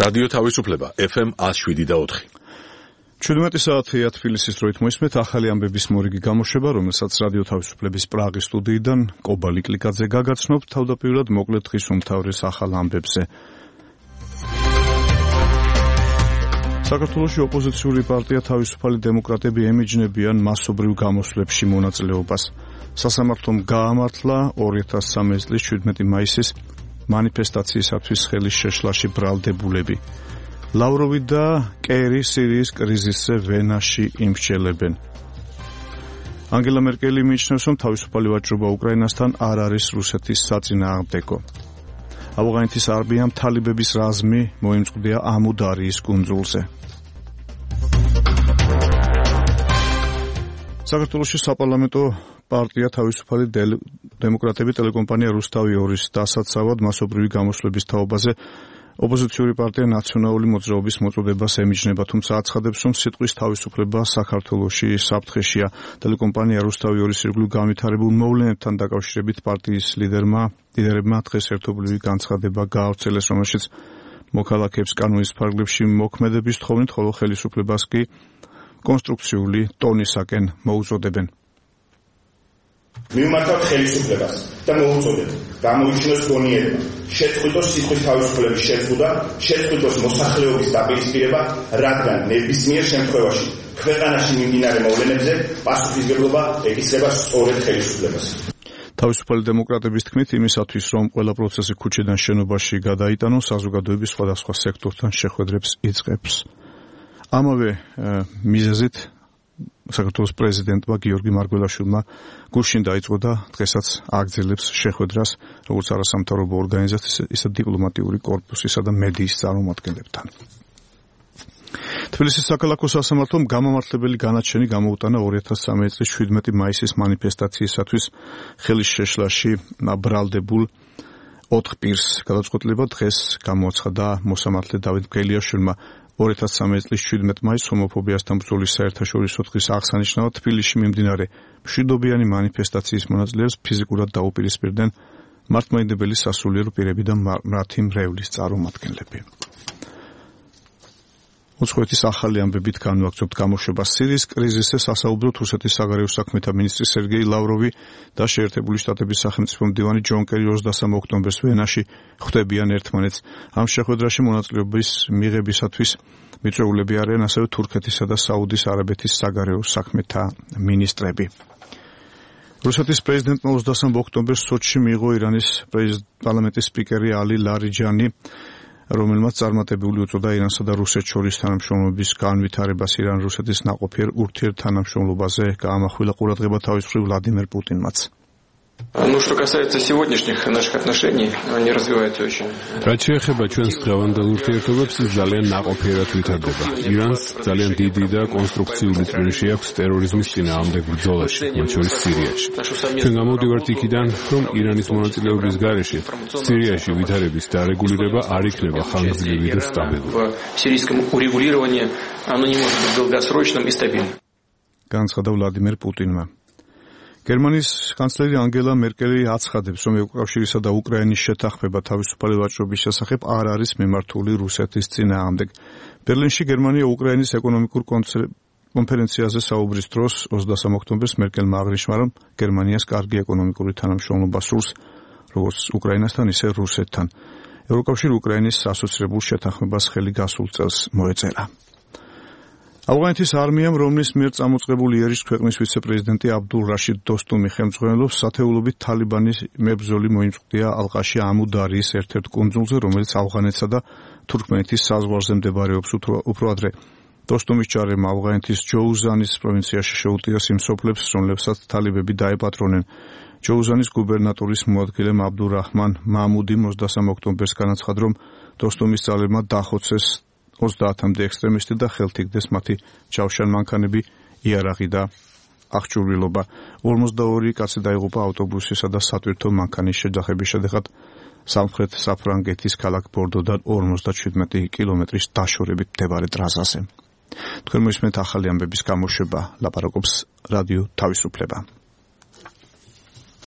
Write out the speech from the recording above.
რადიო თავისუფლება FM 107.4. 17 საათია თბილისის დროით მოისმენთ ახალი ამბების მორიგი გამოშვება, რომელსაც რადიო თავისუფლების პრაღის სტუდიიდან კობალი კლიკაძე გაგაცნობთ. თავდაპირველად მოკლედ დღის უმთავრეს ახალ ამბებზე. საქართველოში ოპოზიციური პარტია თავისუფალი დემოკრატები ემიჯნებიან მასობრივ გამოსვლებში მონაწილეობას. სასამართლომ გაამართლა 2013 წლის 17 მაისის მანიფესტაციისათვის ხელის შეშლაში ბრალდებულები. ლავროვი და კერი სირიის კრიზისზე ვენაში იმსჯელებენ. ანგელა მერკელი მიიჩნევს, რომ თავისუფალი ვაჭრობა უკრაინასთან არ არის რუსეთის საწინააღმდეგო. ავღანეთის არმიამ თალიბების რაზმი მოიმწყდია ამუდარიის კუნძულზე. საქართველოში საპარლამენტო პარტია თავისუფალი დემოკრატები ტელეკომპანია რუსთავი 2-ის დასაცავად მასობრივი გამოსვლების თაობაზე ოპოზიციური პარტია ნაციონალური მოძრაობის მოწოდებას ემიჯნება, თუმცა აცხადებს, რომ სიტყვის თავისუფლება საქართველოში საფრთხეშია. ტელეკომპანია რუსთავი 2-ის ირგვლივ განვითარებულ მოვლენებთან დაკავშირებით პარტიის ლიდერებმა დღეს ერთობლივი განცხადება გაავრცელეს, რომელშიც მოქალაქეებს კანონის ფარგლებში მოქმედების თხოვნით, ხოლო ხელისუფლებას კი კონსტრუქციული ტონისაკენ მოუწოდებენ. მივმართავთ ხელისუფლებას და მოუწოდეთ გამოიჩინოს გონიერება, შეწყვიტოს სიტყვის თავისუფლების შეზღუდვა, შეწყვიტოს მოსახლეობის დაპირისპირება, რადგან ნებისმიერ შემთხვევაში ქვეყანაში მიმდინარე მოვლენებზე პასუხისმგებლობა ეკისრება სწორედ ხელისუფლებას. თავისუფალი დემოკრატების თქმით, იმისათვის, რომ ყველა პროცესი ქუჩიდან შენობაში გადაიტანოს, საზოგადოების სხვადასხვა სექტორთან შეხვედრებს იწყებს. ამავე მიზეზით საქართველოს პრეზიდენტმა გიორგი მარგველაშვილმა გუშინ დაიწყო და დღესაც აგრძელებს შეხვედრას როგორც არასამთავრობო ორგანიზაციის, ისე დიპლომატიური კორპუსისა და მედიის წარმომადგენლებთან. თბილისის საქალაქო სასამართლომ გამამართლებელი განაჩენი გამოუტანა 2013 წლის 17 მაისის მანიფესტაციისათვის ხელის შეშლაში ბრალდებულ 4 პირს. გადაწყვეტილება დღეს გამოაცხადა მოსამართლე დავით მგელიაშვილმა. 2013 წლის 17 მაისს ჰომოფობიასთან ბრძოლის საერთაშორისო დღის აღსანიშნავად თბილისში მიმდინარე მშვიდობიანი მანიფესტაციის მონაწილეებს ფიზიკურად დაუპირისპირდნენ მართლმადიდებელი სასულიერო პირები და მათი მრევლის წარმომადგენლები. უცხოეთის ახალი ამბებით განვაგრძობთ გამოშვებას. სირიის კრიზისზე სასაუბროდ რუსეთის საგარეო საქმეთა მინისტრი სერგეი ლავროვი და შეერთებული შტატების სახელმწიფო მდივანი ჯონ კერი 23 ოქტომბერს ვენაში ხვდებიან ერთმანეთს. ამ შეხვედრაში მონაწილეობის მიღებისათვის მიწვეულები არიან ასევე თურქეთისა და საუდის არაბეთის საგარეო საქმეთა მინისტრები. რუსეთის პრეზიდენტმა 23 ოქტომბერს სოჩში მიიღო ირანის პარლამენტის სპიკერი ალი ლარიჯანი, რომელმაც წარმატებული უწოდა ირანსა და რუსეთს შორის თანამშრომლობის განვითარებას. ირან-რუსეთის ნაყოფიერ ურთიერთთანამშრომლობაზე გაამახვილა ყურადღება თავის მხრივ ვლადიმერ პუტინმაც. Ну, что касается сегодняшних наших отношений, они развиваются очень. რაც შეეხება ჩვენს დღევანდელ ურთიერთობებს, ის ძალიან ნაყოფიერად ვითარდება. ირანს ძალიან დიდი და კონსტრუქციული წვლილი აქვს ტერორიზმის წინააღმდეგ ბრძოლაში, მათ შორის სირიაში. ჩვენ გამოვდივართ იქიდან, რომ ირანის მონაწილეობის გარეშე სირიაში ვითარების დარეგულირება არ იქნება ხანგრძლივი და სტაბილური. Сирийском урегулировании оно не может быть долгосрочным и стабильным. განცხადა ვლადიმერ პუტინმა. გერმანიის კანცლერი ანგელა მერკელი აცხადებს, რომ ევროკავშირისა და უკრაინის შეთანხმება თავისუფალი ვაჭრობის შესახებ არ არის მიმართული რუსეთის წინააღმდეგ. ბერლინში გერმანია უკრაინის ეკონომიკურ კონფერენციაზე საუბრის დროს 23 ოქტომბერს მერკელმა აღნიშნა, რომ გერმანიას კარგი ეკონომიკური თანამშრომლობა სურს როგორც უკრაინასთან, ისე რუსეთთან. ევროკავშირი უკრაინის ასოცირებულ შეთანხმებას ხელი გასულ წელს მოეწერა. ავღანეთის არმიამ, რომლის მიერ წამოწყებული იერიშ ქვეყნის ვიცე-პრეზიდენტი აბდულ რაშიდ დოსტუმი ხელმძღვანელობს, სათეულობით თალიბანის მებრძოლი მოიმწყდია ალყაში ამუდარიის ერთ-ერთ კუნძულზე, რომელიც ავღანეთსა და თურქმენეთის საზღვარზე მდებარეობს. უფრო ადრე დოსტუმის ჯარებმა ავღანეთის ჯოუზანის პროვინციაში შეუტიეს იმ სოფლებს, რომლებსაც თალიბები დაეპატრონენ. ჯოუზანის გუბერნატორის მოადგილემ აბდურაჰმან მამუდიმ 23 ოქტომბერს განაცხადა, რომ დოსტუმის ძალებმა დახოცეს 30-მდე ექსტრემისტი და ხელთიგდეს მათი ჯავშანმანქანები, იარაღი და აღჭურვილობა. 42 კაცი დაიღუპა ავტობუსისა და სატვირთო მანქანის შეჯახების შედეგად სამხრეთ საფრანგეთის ქალაქ ბორდოდან 57 კილომეტრის დაშორებით მდებარე ტრასაზე. თქვენ მოისმენთ ახალი ამბების გამოშვება, ლაპარაკობს რადიო თავისუფლება.